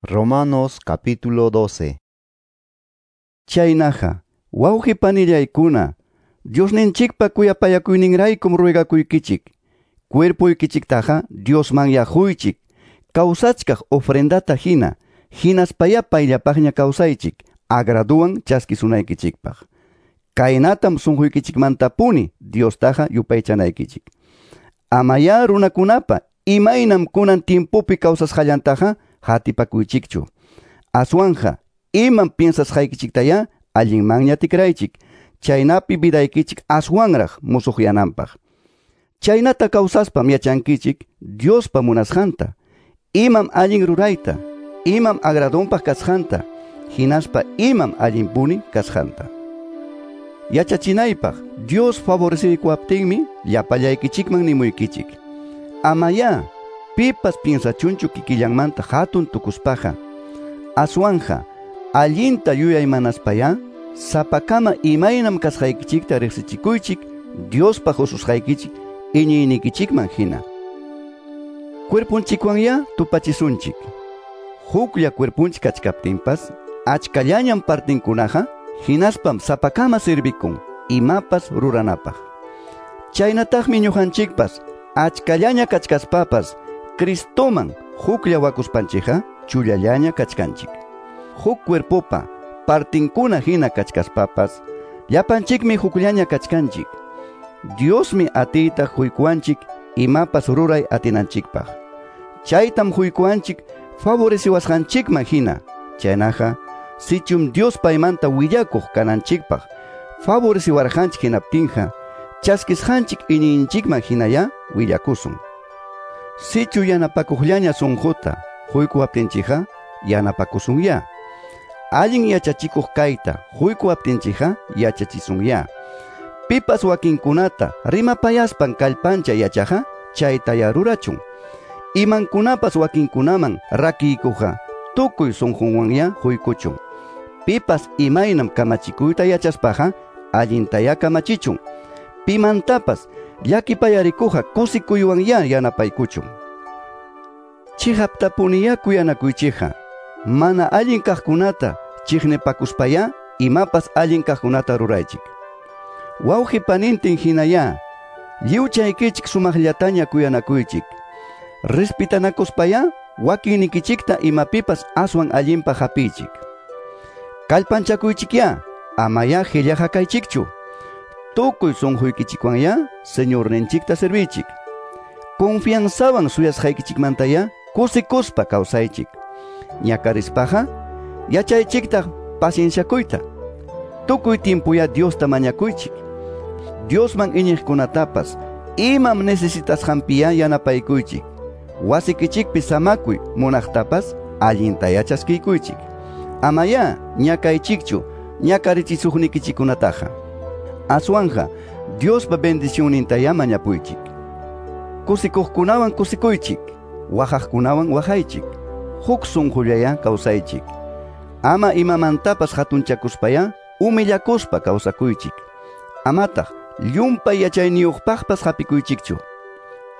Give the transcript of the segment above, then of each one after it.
Romanos capítulo 12. Chaynaqa, wawqi panillaykuna, Diosninchikpa kuyapayakuyninraykum ruegakuykichik. Cuerpuykichiktaqa Diosman yaquychik, kawsachkaq ofrendata hina, hinaspaya payllapaqña kawsaychik, agraduwan chaskisunaykichikpaq. Kaynatam sunquykichikmantapuni Diostaqa yupaychanaykichik. Amaya runakunapa imaynam kunan tiempopi kawsasqallantaqa hatipakuychikchu. Aswanja imam piensasqaykichiktaya allinmanña tikraychik, chaynapi vidaykichik aswanraq musuqyananpaq. Chaynata kawsaspam yachankichik Diospa munasqanta, imam allin rurayta, imam agradonpaq kasqanta, hinaspa imam allinpuni kasqanta. Yachachinaypaq Dios favoreceykuwaptinmi llapallaykichikman nimuykichik. Amaya pipas piensachunchu kikillanmanta hatun tukuspaqa. Aswanja allinta yuyaymanaspaya sapakama imaynam kasqaykichikta riqsichikuychik Diospa hususqaykichik iñiynikichikman hina. Cuerpunchikwanya tupachisunchik. Huklla cuerpunchik kachkaptinpas achkallañam partinkunaqa hinaspam sapakama sirvikun imapas ruranapaq. Chaynataqmi ñuqanchikpas achkallaña kachkaspapas Cristoman huklla wakuspanchikqa chullallaña kachkanchik. Huk cuerpopa partinkuna hina kachkaspapas llapanchikmi hukllaña kachkanchik. Diosmi atiyta huykuanchik imapas ruray atinanchikpaq. Chaytam huykuanchik favoreciwasqanchikman hina. Chaynaqa sichum Dios paymanta willakuq kananchikpaq favoreciwarqanchik hinaptinqa chaskisqanchik iñiyninchikman hinaya willakusun. Sichu yanapakuqllaña sunquta huykuwaptinchikqa yanapakusunya. Allin yachachikuq kayta huykuwaptinchikqa yachachisunya. Pipas wakinkunata rimapayaspan kallpancha yachaqa chaytaya rurachun. Imankunapas wakinkunaman rakiykuqa tukuy sunqunwanya huykuchun. Pipas imaynam kamachikuyta yachaspaqa allintaya kamachichun. Pimantapas llakipayarikuqa kusikuywanya yanapaykuchun. Chihaptapuniya kuyanakuychikqa mana allin kaqkunata chiqnipakuspaya imapas allin kaqkunata ruraychik. Wawqi panintin hinaya lliwchaykichik sumaqllataña kuyanakuychik. Respitanakuspaya wakinnikichikta imapipas aswan allinpaq hapiychik. Kallpanchakuychikya amaya qillaqa kaychikchu. Tukuy sunquykichikwanya Señorninchikta servichik. Confianzawan suyasqaykichikmantaya kusikuspa kawsaychik. Ñakarispaqa yachaychiktaq pacienciakuyta. Tukuy tiempoya Diosta mañakuychik. Diosman iñiqkunatapas imam necesitasqanpiya yanapaykuychik. Wasikichikpi samakuy munaqtapas allintaya chaskiykuychik. Amaya ñakaychikchu ñakarichisuqnikichikunataqa. Aswanja Diospa bendicionnintaya mañapuychik. Kusikuqkunawan kusikuychik, waqaqkunawan waqaychik. Huk sunqullaya kawsaychik. Ama imamantapas hatunchakuspaya humillakuspa kawsakuychik. Amataq llumpay yachayniyuqpaqpas hapikuychikchu.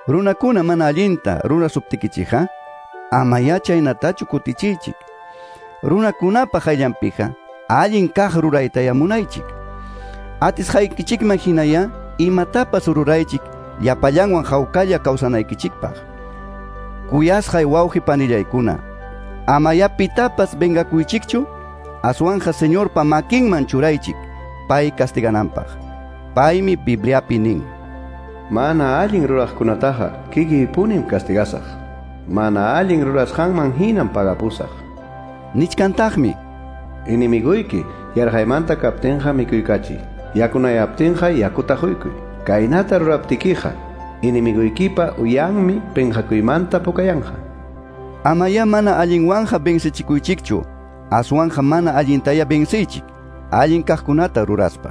Runakuna mana allinta rurasuptikichikqa amaya chaynatachu kutichiychik. Runakunapa qayllanpiqa allin kaq ruraytaya munaychik. Atisqaykichikman hinaya imatapas ruraychik llapallanwan hawkalla kawsanaykichikpaq. Kuyasqay wawqi panillaykuna, amaya pitapas vengakuychikchu, aswanja Señorpa makinman churaychik pay castigananpaq. Paymi Bibliapi nin: Mana allin ruraqkunataqa kikiypunim castigasaq. Mana allin rurasqanman hinam pagapusaq. Nichkantaqmi: Enemiguyki yarqaymanta kaptinqa mikuykachiy, yakunayaptinqa yakuta huykuy. Kaynata ruraptikiqa enemiguykipa uyanmi penqakuymanta pukayanqa. Amaya mana allinwanja vencichikuychikchu, aswanja mana allintaya venciychik, allin kaqkunata ruraspa.